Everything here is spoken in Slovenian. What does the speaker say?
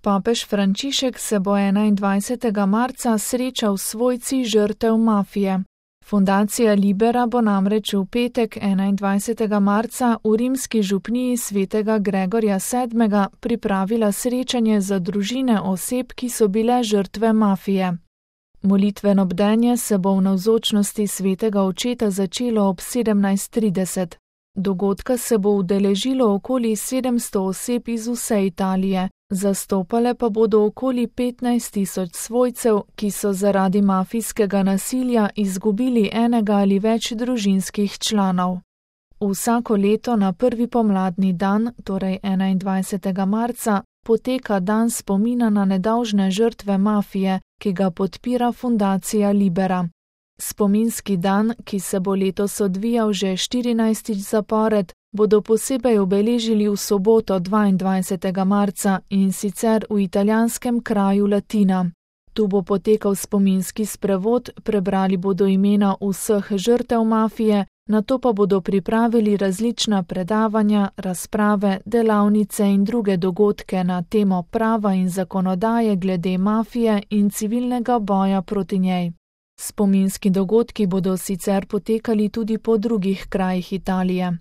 Papež Frančišek se bo 21. marca srečal s svojci žrtev mafije. Fundacija Libera bo namreč v petek 21. marca v rimski župniji svetega Gregorja VII. Pripravila srečanje za družine oseb, ki so bile žrtve mafije. Molitveno bdenje se bo v navzočnosti svetega očeta začelo ob 17:30. Dogodka se bo udeležilo okoli 700 oseb iz vse Italije, zastopale pa bodo okoli 15.000 svojcev, ki so zaradi mafijskega nasilja izgubili enega ali več družinskih članov. Vsako leto na prvi pomladni dan, torej 21. marca, poteka dan spomina na nedolžne žrtve mafije, ki ga podpira fundacija Libera. Spominski dan, ki se bo letos odvijal že 14. zapored, bodo posebej obeležili v soboto 22. marca in sicer v italijanskem kraju Latina. Tu bo potekal spominski sprevod, prebrali bodo imena vseh žrtev mafije, nato pa bodo pripravili različna predavanja, razprave, delavnice in druge dogodke na temo prava in zakonodaje glede mafije in civilnega boja proti njej. Spominski dogodki bodo sicer potekali tudi po drugih krajih Italije.